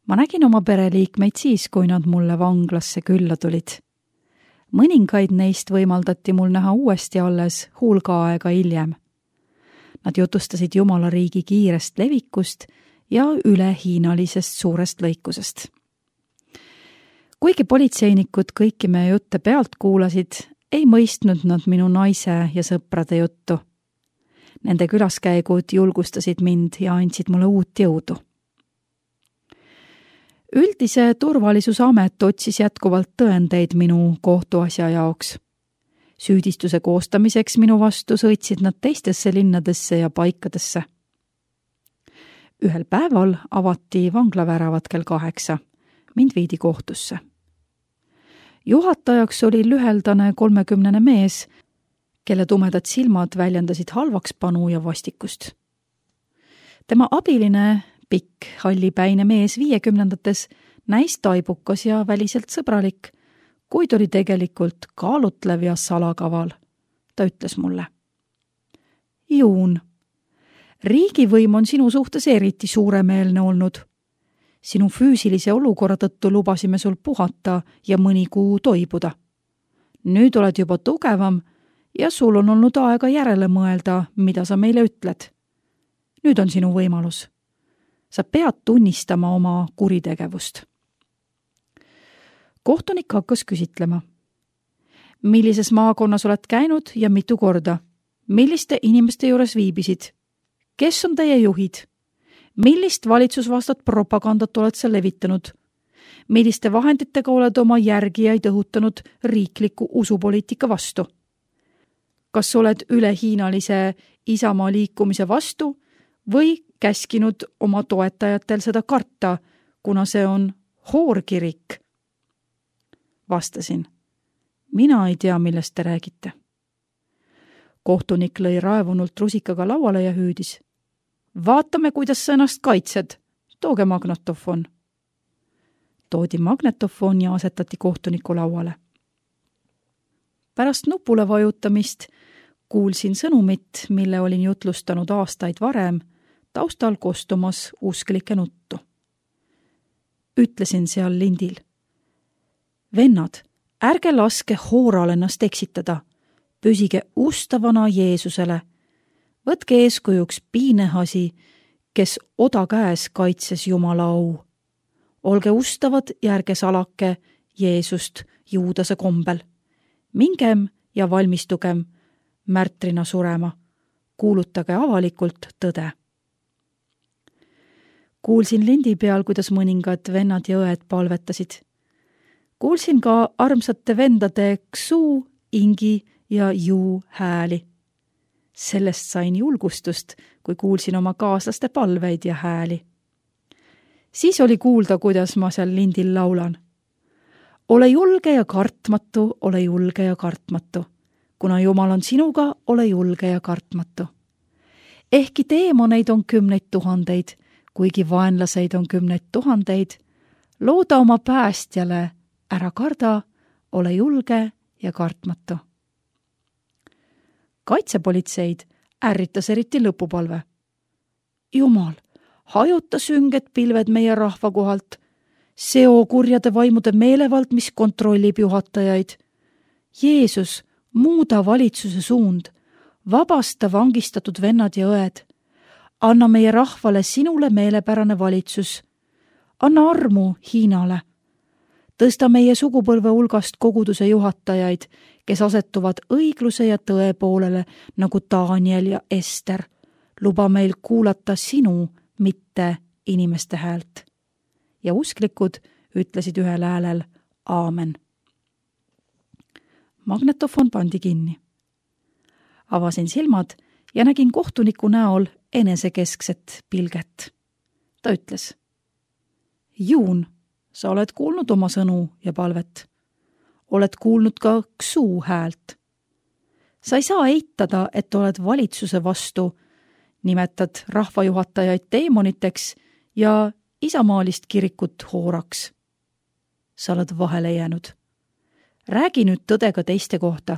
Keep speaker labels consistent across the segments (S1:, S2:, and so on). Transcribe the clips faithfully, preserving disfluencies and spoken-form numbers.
S1: Ma nägin oma pereliikmeid siis, kui nad mulle vanglasse külla tulid. Mõningaid neist võimaldati mul näha uuesti alles hulga aega hiljem. Nad jutustasid Jumala riigi kiirest levikust ja ülehiinalisest suurest lõikusest. Kuigi politseinikud kõiki meie jutte pealt kuulasid, ei mõistnud nad minu naise ja sõprade juttu. Nende külaskäigud julgustasid mind ja andsid mulle uut jõudu. Üldise turvalisuse amet otsis jätkuvalt tõendeid minu kohtuasja jaoks. Süüdistuse koostamiseks minu vastu sõitsid nad teistesse linnadesse ja paikadesse. Ühel päeval avati vanglaväravat kell kaheksa. Mind viidi kohtusse. Juhatajaks oli lüheldane kolmekümnene mees, kelle tumedad silmad väljendasid halvakspanu ja vastikust. Tema abiline, pikk, hallipäine mees viiekümnendates näis taibukas ja väliselt sõbralik, kuid oli tegelikult kaalutlev ja salakaval. Ta ütles mulle: Juun, riigivõim on sinu suhtes eriti suuremeelne olnud. Sinu füüsilise olukorra tõttu lubasime sul puhata ja mõni kuu toibuda. Nüüd oled juba tugevam ja sul on olnud aega järele mõelda, mida sa meile ütled. Nüüd on sinu võimalus. Sa pead tunnistama oma kuritegevust. Kohtunik hakkas küsitlema. Millises maakonnas oled käinud ja mitu korda? Milliste inimeste juures viibisid? Kes on teie juhid? Millist valitsusvastat propagandat oled sa levitanud? Milliste vahenditega oled oma järgijaid õhutanud riikliku usupoliitika vastu? Kas oled ülehiinalise Isamaa liikumise vastu või käskinud oma toetajatel seda karta, kuna see on hoorkirik? Vastasin: mina ei tea, millest te räägite. Kohtunik lõi raevunult rusikaga lauale ja hüüdis: vaatame, kuidas sa ennast kaitsed. Tooge magnetofon. Toodi magnetofon ja asetati kohtuniku lauale. Pärast nupule vajutamist kuulsin sõnumit, mille olin jutlustanud aastaid varem, taustal kostumas usklike nuttu. Ütlesin seal lindil: vennad, ärge laske hooral ennast eksitada. Püsige ustavana Jeesusele. Võtke eeskujuks Piinehasi, kes oda käes kaitses Jumala au. Olge ustavad ja ärge salake Jeesust Juudase kombel. Mingem ja valmistugem märtrina surema. Kuulutage avalikult tõde. Kuulsin lindi peal, kuidas mõningad vennad ja õed palvetasid. Kuulsin ka armsate vendade Ksu, Ingi ja Juu hääli. Sellest sain julgustust, kui kuulsin oma kaaslaste palveid ja hääli. Siis oli kuulda, kuidas ma seal lindil laulan. Ole julge ja kartmatu, ole julge ja kartmatu. Kuna Jumal on sinuga, ole julge ja kartmatu. Ehkki teemoneid on kümneid tuhandeid, kuigi vaenlaseid on kümneid tuhandeid, looda oma päästjale, ära karda, ole julge ja kartmatu. Kaitsepolitseid ärritas eriti lõpupalve. Jumal, hajuta sünged pilved meie rahva kohalt, seo kurjade vaimude meelevald, mis kontrollib juhatajaid. Jeesus, muuda valitsuse suund, vabasta vangistatud vennad ja õed. Anna meie rahvale sinule meelepärane valitsus. Anna armu Hiinale. Tõsta meie sugupõlve hulgast koguduse juhatajaid, kes asetuvad õigluse ja tõe poolele nagu Daniel ja Ester. Luba meil kuulata sinu, mitte inimeste häält. Ja usklikud ütlesid ühel häälel aamen. Magnetofon pandi kinni. Avasin silmad ja nägin kohtuniku näol enesekeskset pilget. Ta ütles: Juun, sa oled kuulnud oma sõnu ja palvet. Oled kuulnud ka Ksu häält. Sa ei saa eitada, et oled valitsuse vastu, nimetad rahvajuhatajaid teemoniteks ja isamaalist kirikut hooraks. Sa oled vahele jäänud. Räägi nüüd tõdega teiste kohta.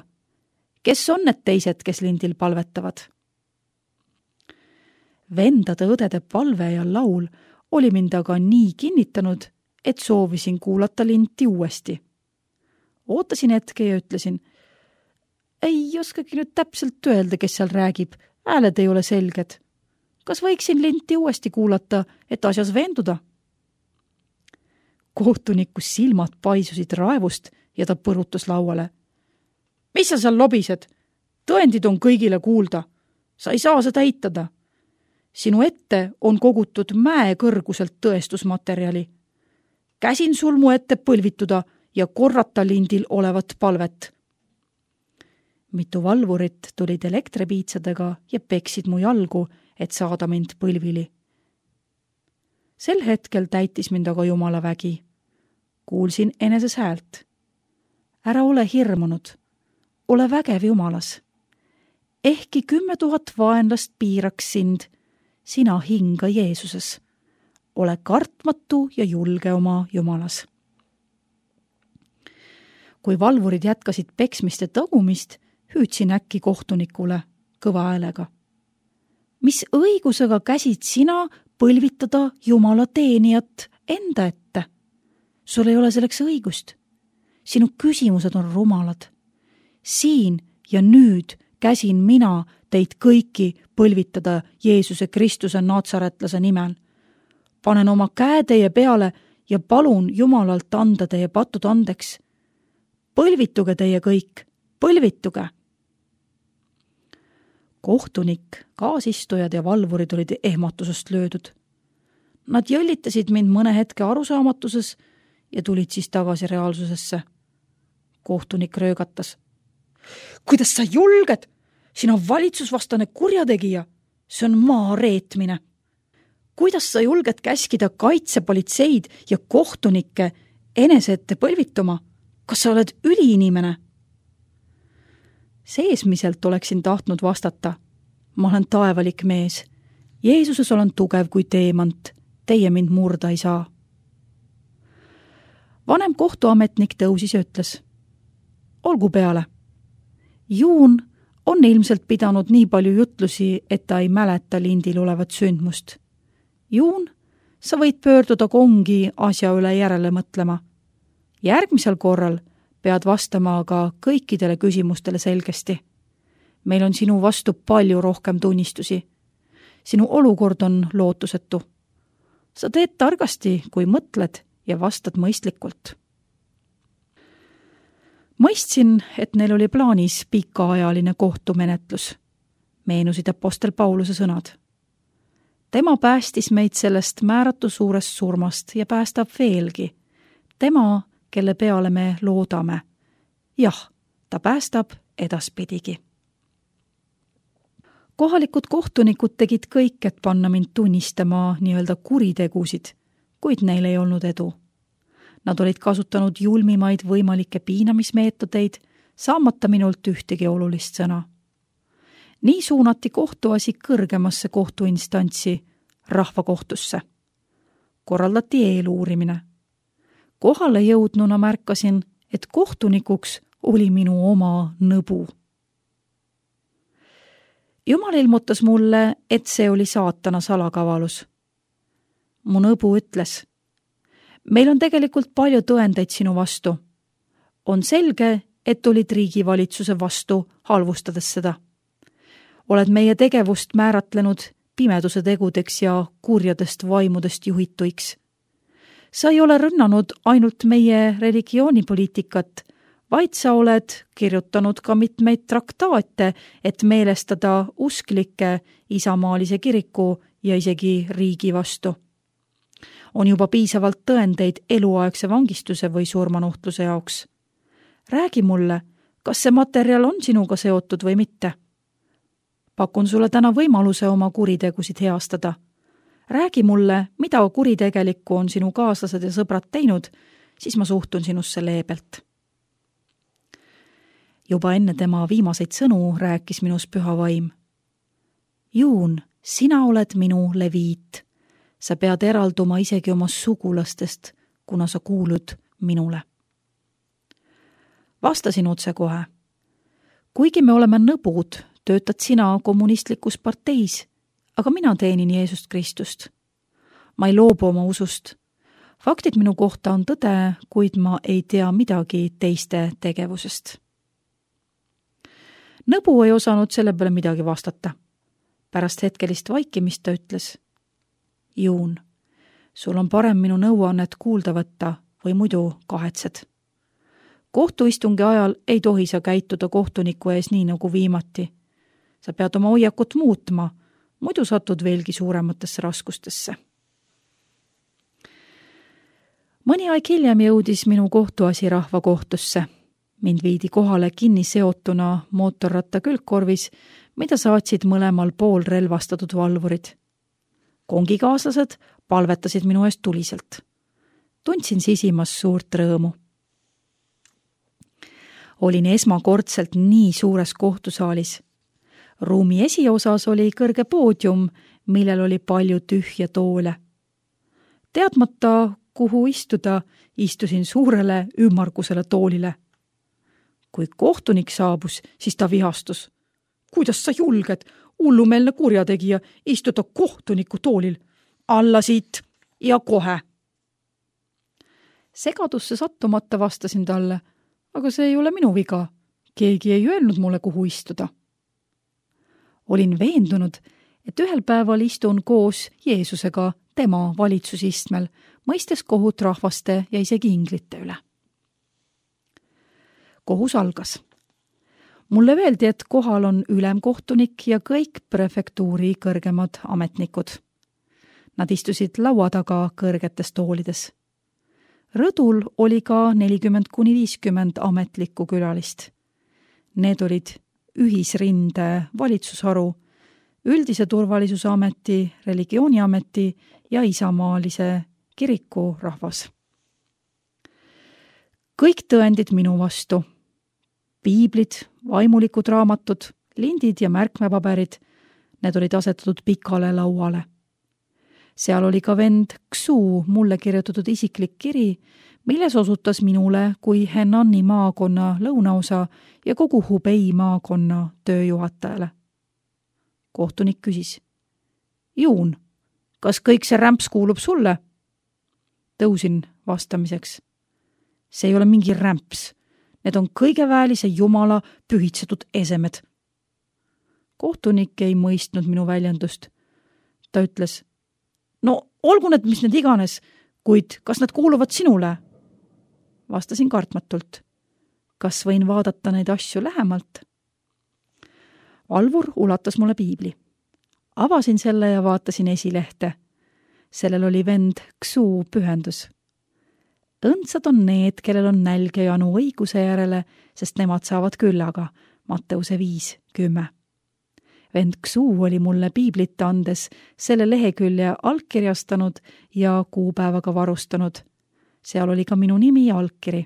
S1: Kes on need teised, kes lindil palvetavad? Vendade õdede palve ja laul oli mind aga nii kinnitanud, et soovisin kuulata linti uuesti. Ootasin hetke ja ütlesin, ei oskagi nüüd täpselt öelda, kes seal räägib, hääled ei ole selged. Kas võiksin linti uuesti kuulata, et asjas veenduda? Kohtuniku silmad paisusid raevust ja ta põrutas lauale. Mis sa seal lobised? Tõendid on kõigile kuulda. Sa ei saa seda eitada. Sinu ette on kogutud mäe kõrguselt tõestusmaterjali. Käsin sul mu ette põlvituda ja korrata lindil olevat palvet. Mitu valvurit tulid elektripiitsadega ja peksid mu jalgu, et saada mind põlvili. Sel hetkel täitis mind aga Jumala vägi. Kuulsin eneses häält. Ära ole hirmunud. Ole vägev Jumalas. Ehkki kümme tuhat vaenlast piiraks sind, sina hinga Jeesuses. Ole kartmatu ja julge oma Jumalas. Kui valvurid jätkasid peksmist ja tagumist, hüüdsin äkki kohtunikule kõva häälega. Mis õigusega käsid sina põlvitada Jumala teenijat enda ette? Sul ei ole selleks õigust. Sinu küsimused on rumalad. Siin ja nüüd käsin mina teid kõiki põlvitada Jeesuse Kristuse natsaretlase nimel. Panen oma käe teie peale ja palun Jumalalt anda teie patud andeks. Põlvituge teie kõik, põlvituge! Kohtunik, kaasistujad ja valvurid olid ehmatusest löödud. Nad jõllitasid mind mõne hetke arusaamatuses ja tulid siis tagasi reaalsusesse. Kohtunik röögatas. Kuidas sa julged? Sina valitsusvastane kurjategija. See on maa reetmine. Kuidas sa julged käskida kaitsepolitseid ja kohtunikke enese ette põlvituma? Kas sa oled üliinimene? Seesmiselt oleksin tahtnud vastata. Ma olen taevalik mees. Jeesuses olen tugev kui teemant. Teie mind murda ei saa. Vanem kohtuametnik tõusis ja ütles. Olgu peale. Juun on ilmselt pidanud nii palju jutlusi, et ta ei mäleta lindil olevat sündmust. Juun, sa võid pöörduda kongi asja üle järele mõtlema. Järgmisel korral pead vastama aga kõikidele küsimustele selgesti. Meil on sinu vastu palju rohkem tunnistusi. Sinu olukord on lootusetu. Sa teed targasti, kui mõtled ja vastad mõistlikult. Mõistsin, et neil oli plaanis pikaajaline kohtumenetlus. Meenusid apostel Pauluse sõnad. Tema päästis meid sellest määratu suurest surmast ja päästab veelgi. Tema, kelle peale me loodame. Jah, ta päästab edaspidigi. Kohalikud kohtunikud tegid kõik, et panna mind tunnistama nii-öelda kuritegusid, kuid neil ei olnud edu. Nad olid kasutanud julmimaid võimalikke piinamismeetodeid, saamata minult ühtegi olulist sõna. Nii suunati kohtuasi kõrgemasse kohtuinstantsi, rahvakohtusse. Korraldati eeluurimine. Kohale jõudnuna märkasin, et kohtunikuks oli minu oma nõbu. Jumal ilmutas mulle, et see oli saatana salakavalus. Mu nõbu ütles, meil on tegelikult palju tõendeid sinu vastu. On selge, et olid riigivalitsuse vastu, halvustades seda. Oled meie tegevust määratlenud pimeduse tegudeks ja kurjadest vaimudest juhituiks. Sa ei ole rünnanud ainult meie religioonipoliitikat, vaid sa oled kirjutanud ka mitmeid traktaate, et meelestada usklikke isamaalise kiriku ja isegi riigi vastu. On juba piisavalt tõendeid eluaegse vangistuse või surmanuhtluse jaoks. Räägi mulle, kas see materjal on sinuga seotud või mitte? Pakun sulle täna võimaluse oma kuritegusid heastada. Räägi mulle, mida kuritegelikku on sinu kaaslased ja sõbrad teinud, siis ma suhtun sinusse leebelt. Juba enne tema viimaseid sõnu rääkis minus püha vaim. Juun, sina oled minu leviit. Sa pead eralduma isegi oma sugulastest, kuna sa kuulud minule. Vastasin otse kohe. Kuigi me oleme nõbud, töötad sina kommunistlikus parteis, aga mina teenin Jeesust Kristust. ma ei loobu oma usust. Faktid minu kohta on tõde, kuid ma ei tea midagi teiste tegevusest. Nõbu ei osanud selle peale midagi vastata. Pärast hetkelist vaikimist ta ütles: Juun, sul on parem minu nõuannet kuulda võtta või muidu kahetsed. Kohtuistungi ajal ei tohi sa käituda kohtuniku ees nii nagu viimati. Sa pead oma hoiakut muutma, muidu satud veelgi suurematesse raskustesse. Mõni aeg hiljem jõudis minu kohtuasi rahvakohtusse. Mind viidi kohale kinni seotuna mootorratta külgkorvis, mida saatsid mõlemal pool relvastatud valvurid. Kongikaaslased palvetasid minu eest tuliselt. Tundsin sisimas suurt rõõmu. Olin esmakordselt nii suures kohtusaalis. Ruumi esiosas oli kõrge poodium, millel oli palju tühja toole. Teadmata, kuhu istuda, istusin suurele ümmargusele toolile. Kui kohtunik saabus, siis ta vihastus. Kuidas sa julged, hullumeelne kurjategija, istuda kohtuniku toolil? Alla siit ja kohe! Segadusse sattumata vastasin talle, aga see ei ole minu viga. Keegi ei öelnud mulle, kuhu istuda. Olin veendunud, et ühel päeval istun koos Jeesusega tema valitsusistmel, mõistes kohut rahvaste ja isegi inglite üle. Kohus algas. Mulle öeldi, et kohal on ülemkohtunik ja kõik prefektuuri kõrgemad ametnikud. Nad istusid laua taga kõrgetes toolides. Rõdul oli ka nelikümmend kuni viiskümmend ametlikku külalist. Need olid ühisrinde valitsusharu, üldise turvalisuse ameti, religiooniameti ja isamaalise kiriku rahvas. Kõik tõendid minu vastu. Piiblid, vaimulikud raamatud, lindid ja märkmepaberid, need olid asetatud pikale lauale. Seal oli ka vend Xu mulle kirjutatud isiklik kiri, milles osutas minule kui Henani maakonna lõunaosa ja kogu Hubei maakonna tööjuhatajale. Kohtunik küsis: Juun, kas kõik see rämps kuulub sulle? Tõusin vastamiseks. See ei ole mingi rämps. Need on kõige väelise jumala pühitsetud esemed. Kohtunik ei mõistnud minu väljendust. Ta ütles: No olgu need, mis need iganes, kuid kas nad kuuluvad sinule? Vastasin kartmatult. Kas võin vaadata neid asju lähemalt? Valvur ulatas mulle piibli. Avasin selle ja vaatasin esilehte. Sellel oli vend Xu pühendus. Õndsad on need, kellel on nälg ja janu õiguse järele, sest nemad saavad küllaga. Matteuse viis kümme. Vend Xu oli mulle piiblit andes selle lehekülje allkirjastanud ja kuupäevaga varustanud. Seal oli ka minu nimi ja allkiri.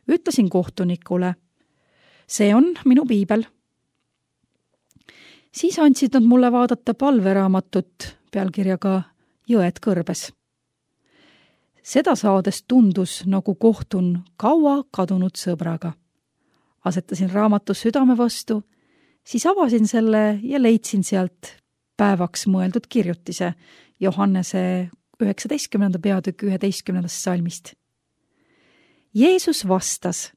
S1: Ütlesin kohtunikule: See on minu piibel. Siis andsid nad mulle vaadata palveraamatut pealkirjaga Jõed kõrbes. Seda saades tundus, nagu kohtun kaua kadunud sõbraga. Asetasin raamatu südame vastu, siis avasin selle ja leidsin sealt päevaks mõeldud kirjutise Johannese üheksateistkümnenda peatükk üheteistkümnendast salmist. Jeesus vastas: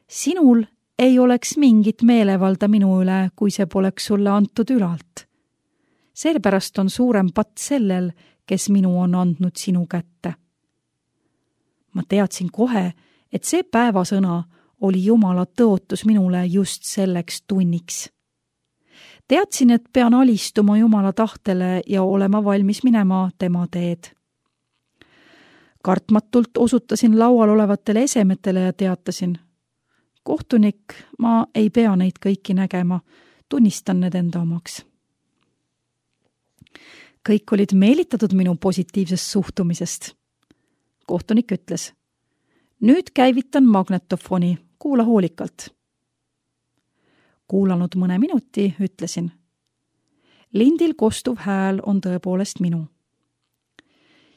S1: Sinul ei oleks mingit meelevalda minu üle, kui see poleks sulle antud ülalt. Sellepärast on suurem patt sellel, kes minu on andnud sinu kätte. Ma teadsin kohe, et see päevasõna oli Jumala tõotus minule just selleks tunniks. Teadsin, et pean alistuma Jumala tahtele ja olema valmis minema tema teed. Kartmatult osutasin laual olevatele esemetele ja teatasin: Kohtunik, ma ei pea neid kõiki nägema, tunnistan need enda omaks. Kõik olid meelitatud minu positiivsest suhtumisest. Kohtunik ütles: Nüüd käivitan magnetofoni, kuula hoolikalt. Kuulanud mõne minuti, ütlesin: Lindil kostuv hääl on tõepoolest minu.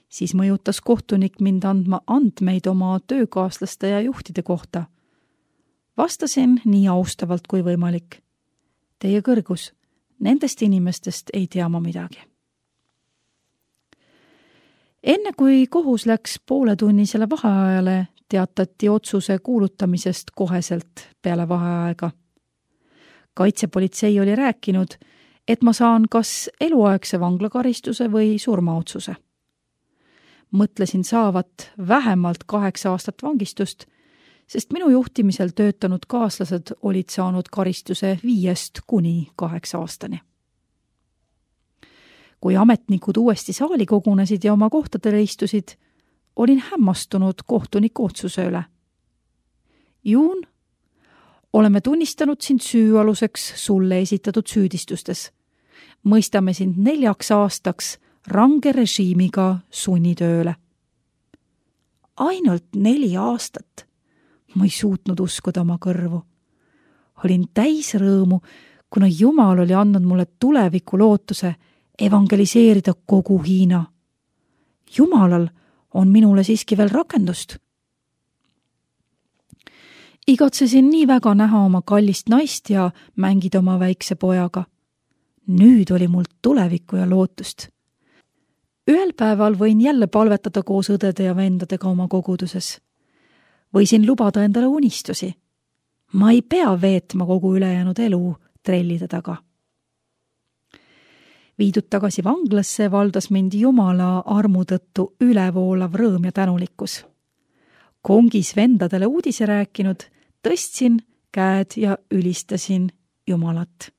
S1: Siis mõjutas kohtunik mind andma andmeid oma töökaaslaste ja juhtide kohta. Vastasin nii austavalt kui võimalik: Teie kõrgus, nendest inimestest ei tea ma midagi. Enne kui kohus läks pooletunnisele vaheajale, teatati otsuse kuulutamisest koheselt peale vaheaega. Kaitsepolitsei oli rääkinud, et ma saan kas eluaegse vanglakaristuse või surmaotsuse. Mõtlesin saavat vähemalt kaheksa aastat vangistust, sest minu juhtimisel töötanud kaaslased olid saanud karistuse viiest kuni kaheksa aastani. Kui ametnikud uuesti saali kogunesid ja oma kohtadele istusid, olin hämmastunud kohtuniku otsuse üle. Juun, oleme tunnistanud sind süüaluseks sulle esitatud süüdistustes. Mõistame sind neljaks aastaks range režiimiga sunnitööle. Ainult neli aastat. Ma ei suutnud uskuda oma kõrvu. Olin täis rõõmu, kuna Jumal oli andnud mulle tuleviku lootuse evangeliseerida kogu Hiina. Jumalal on minule siiski veel rakendust. Igatsesin nii väga näha oma kallist naist ja mängida oma väikse pojaga. Nüüd oli mul tulevikku ja lootust. Ühel päeval võin jälle palvetada koos õdede ja vendadega oma koguduses. Võisin lubada endale unistusi. Ma ei pea veetma kogu ülejäänud elu trellide taga. Viidud tagasi vanglasse valdas mind Jumala armu tõttu ülevoolav rõõm ja tänulikkus. Kongis vendadele uudise rääkinud, tõstsin käed ja ülistasin Jumalat.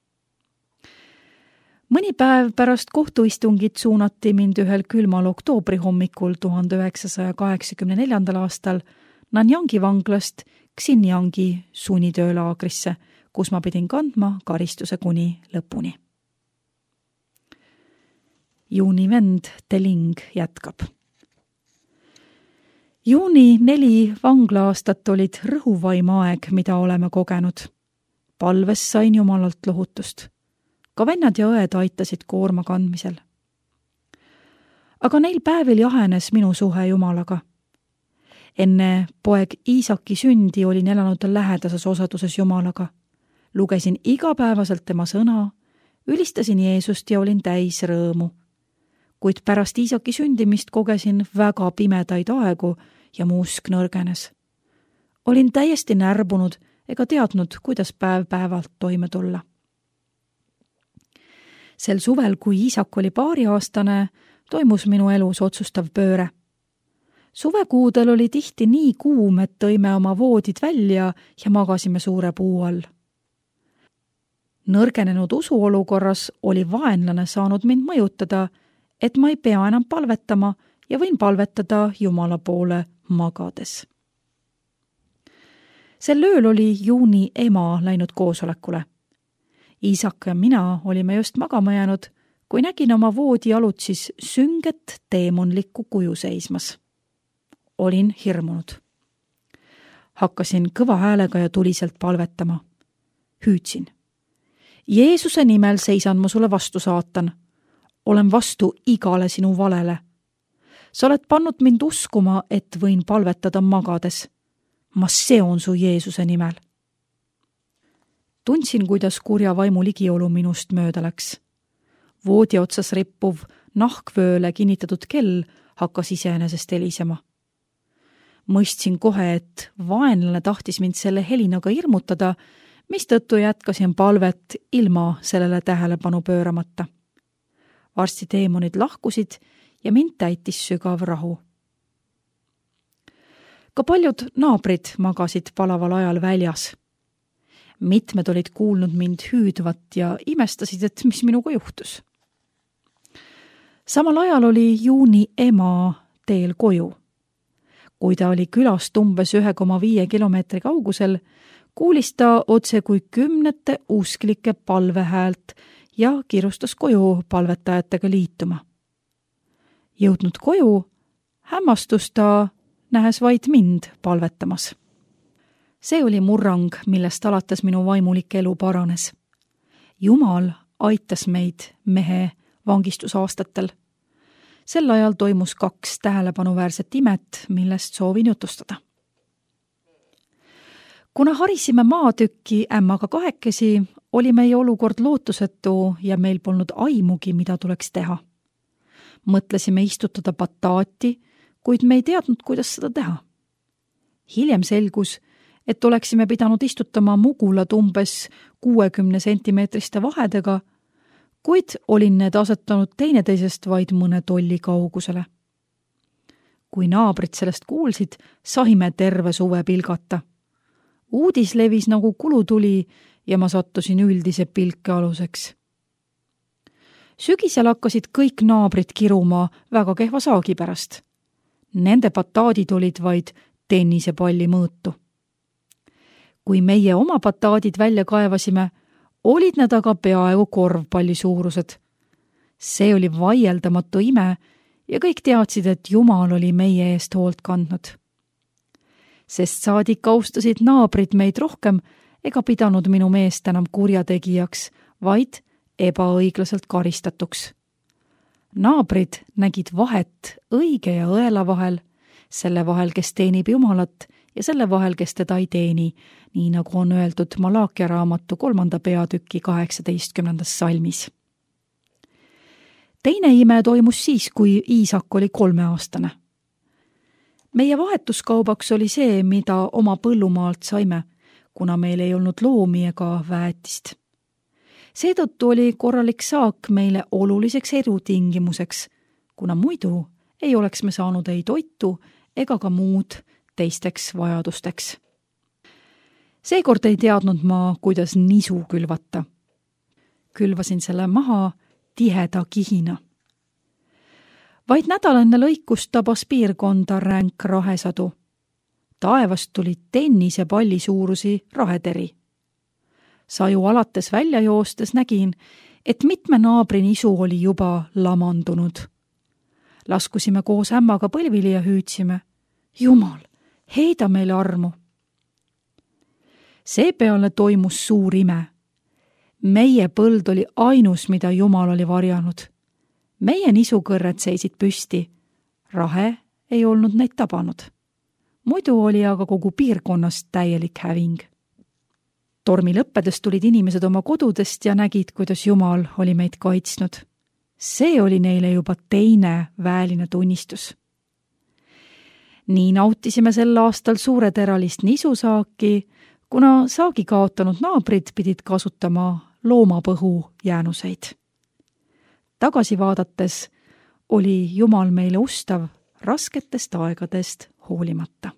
S1: Mõni päev pärast kohtuistungit suunati mind ühel külmal oktoobri hommikul tuhande üheksasaja kaheksakümne neljandal aastal Nanjangi vanglast Xinjiangi sunnitöölaagrisse, kus ma pidin kandma karistuse kuni lõpuni. Juuni vend Teling jätkab. Juuni neli vangla-aastat olid rõhuvaim aeg, mida oleme kogenud. Palves sain Jumalalt lohutust. Ka vennad ja õed aitasid koorma kandmisel. Aga neil päevil jahenes minu suhe Jumalaga. Enne poeg Iisaki sündi olin elanud lähedases osaduses Jumalaga. Lugesin igapäevaselt tema sõna, ülistasin Jeesust ja olin täis rõõmu. Kuid pärast Iisaki sündimist kogesin väga pimedaid aegu ja mu usk nõrgenes. Olin täiesti närbunud ega teadnud, kuidas päev päevalt toime tulla. Sel suvel, kui Iisak oli paariaastane, toimus minu elus otsustav pööre. Suvekuudel oli tihti nii kuum, et tõime oma voodid välja ja magasime suure puu all. Nõrgenenud usuolukorras oli vaenlane saanud mind mõjutada, et ma ei pea enam palvetama ja võin palvetada Jumala poole magades. Sel ööl oli Juuni ema läinud koosolekule. Iisak ja mina olime just magama jäänud, kui nägin oma voodi alutsis sünget teemonlikku kuju seismas. Olin hirmunud. Hakkasin kõva häälega ja tuliselt palvetama. Hüüdsin. Jeesuse nimel seisan ma sulle vastu, saatan. Olen vastu igale sinu valele. Sa oled pannud mind uskuma, et võin palvetada magades. Ma seon su Jeesuse nimel. Tundsin, kuidas kurja vaimu ligiolu minust mööda läks. Voodi otsas rippuv nahkvööle kinnitatud kell hakkas iseenesest helisema. Mõistsin kohe, et vaenlane tahtis mind selle helinaga hirmutada, mistõttu jätkasin palvet ilma sellele tähelepanu pööramata. Varsti teemonid lahkusid ja mind täitis sügav rahu. Ka paljud naabrid magasid palaval ajal väljas. Mitmed olid kuulnud mind hüüdvat ja imestasid, et mis minuga juhtus. Samal ajal oli Juuni ema teel koju. Kui ta oli külast umbes ühe koma viie kilomeetri kaugusel, kuulis ta otse kui kümnete usklike palvehäält ja kiirustas koju palvetajatega liituma. Jõudnud koju, hämmastus ta, nähes vaid mind palvetamas. See oli murrang, millest alates minu vaimulik elu paranes. Jumal aitas meid mehe vangistusaastatel. Sel ajal toimus kaks tähelepanuväärset imet, millest soovin jutustada. Kuna harisime maatükki ämmaga kahekesi, oli meie olukord lootusetu ja meil polnud aimugi, mida tuleks teha. mõtlesime istutada bataati, kuid me ei teadnud, kuidas seda teha. Hiljem selgus, et oleksime pidanud istutama mugulad umbes kuuekümne sentimeetriste vahedega, kuid olin need asetanud teineteisest vaid mõne tolli kaugusele. Kui naabrid sellest kuulsid, saime terve suve pilgata. Uudis levis nagu kulutuli ja ma sattusin üldise pilke aluseks. Sügisel hakkasid kõik naabrid kiruma väga kehva saagi pärast. Nende bataadid olid vaid tennisepalli mõõtu. Kui meie oma bataadid välja kaevasime, olid nad aga peaaegu korvpalli suurused. See oli vaieldamatu ime ja kõik teadsid, et Jumal oli meie eest hoolt kandnud. Sest saadik austasid naabrid meid rohkem ega pidanud minu meest enam kurjategijaks, vaid ebaõiglaselt karistatuks. Naabrid nägid vahet õige ja õela vahel, selle vahel, kes teenib Jumalat ja selle vahel, kes teda ei teeni, nii nagu on öeldud Malaakia raamatu kolmanda peatüki kaheksateistkümnendas salmis. Teine ime toimus siis, kui Iisak oli kolmeaastane. Meie vahetuskaubaks oli see, mida oma põllumaalt saime, kuna meil ei olnud loomi ega väetist. Seetõttu oli korralik saak meile oluliseks erutingimuseks, kuna muidu ei oleks me saanud ei toitu ega ka muud teisteks vajadusteks. Seekord ei teadnud ma, kuidas nisu külvata. Külvasin selle maha tiheda kihina. Vaid nädal enne lõikust tabas piirkonda ränk rahesadu. Taevast tuli tennise palli suurusi raheteri. Saju alates välja joostes nägin, et mitme naabri nisu oli juba lamandunud. Laskusime koos ämmaga põlvili ja hüüdsime, Jumal, heida meile armu. Seepeale toimus suur ime. Meie põld oli ainus, mida Jumal oli varjanud. Meie nisukõrred seisid püsti. Rahe ei olnud neid tabanud. Muidu oli aga kogu piirkonnas täielik häving. Tormi lõppedes tulid inimesed oma kodudest ja nägid, kuidas Jumal oli meid kaitsnud. See oli neile juba teine väeline tunnistus. Nii nautisime sel aastal suureteralist nisusaaki, kuna saagi kaotanud naabrid pidid kasutama loomapõhu jäänuseid. Tagasi vaadates oli Jumal meile ustav rasketest aegadest hoolimata.